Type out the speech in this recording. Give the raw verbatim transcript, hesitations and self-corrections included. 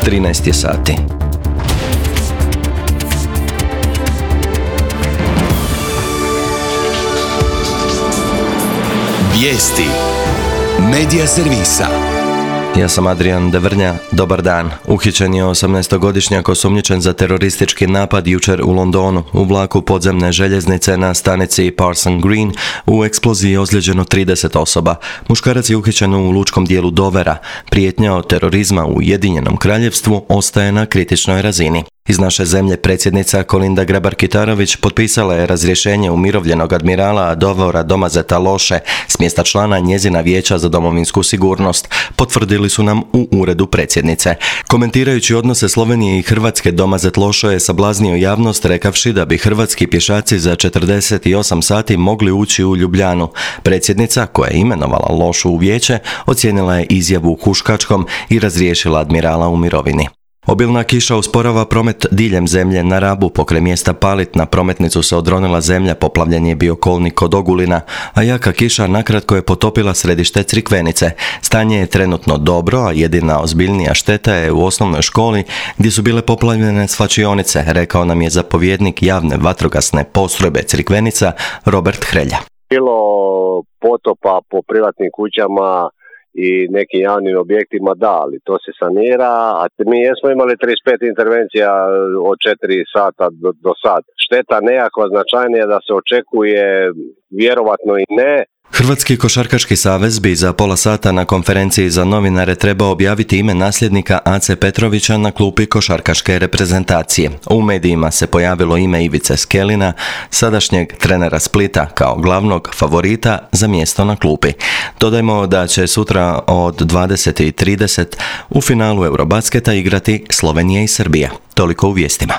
trinaest je sati. Vijesti Medija servisa. Ja sam Adrian Devrnja, dobar dan. Uhićen je osamnaestogodišnjak osumnjičen za teroristički napad jučer u Londonu. U vlaku podzemne željeznice na stanici Parson Green u eksploziji je ozlijeđeno trideset osoba. Muškarac je uhićen u lučkom dijelu Dovera. Prijetnja od terorizma u Ujedinjenom Kraljevstvu ostaje na kritičnoj razini. Iz naše zemlje predsjednica Kolinda Grabar-Kitarović potpisala je razrješenje umirovljenog admirala Dovora Domazeta Loše s mjesta člana njezina vijeća za domovinsku sigurnost, potvrdili su nam u uredu predsjednice. Komentirajući odnose Slovenije i Hrvatske, Domazet Loše je sablaznio javnost rekavši da bi hrvatski pješaci za četrdeset osam sati mogli ući u Ljubljanu. Predsjednica, koja je imenovala Lošu u vijeće, ocijenila je izjavu huškačkom i razriješila admirala u mirovini. Obilna kiša usporava promet diljem zemlje. Na Rabu pokraj mjesta Palit na prometnicu se odronila zemlja, poplavljen je bio kolnik kod Ogulina, a jaka kiša nakratko je potopila središte Crikvenice. Stanje je trenutno dobro, a jedina ozbiljnija šteta je u osnovnoj školi gdje su bile poplavljene svlačionice, rekao nam je zapovjednik javne vatrogasne postrojbe Crikvenica Robert Hrelja. Bilo potopa po privatnim kućama i nekim javnim objektima, da, ali to se sanira, a mi jesmo imali trideset pet intervencija od četiri sata do, do sad. Šteta nekakva značajnija da se očekuje, vjerovatno i ne. Hrvatski košarkaški savez bi za pola sata na konferenciji za novinare trebao objaviti ime nasljednika Ace Petrovića na klupi košarkaške reprezentacije. U medijima se pojavilo ime Ivice Skelina, sadašnjeg trenera Splita, kao glavnog favorita za mjesto na klupi. Dodajmo da će sutra od dvadeset i trideset u finalu Eurobasketa igrati Slovenija i Srbija. Toliko u vijestima.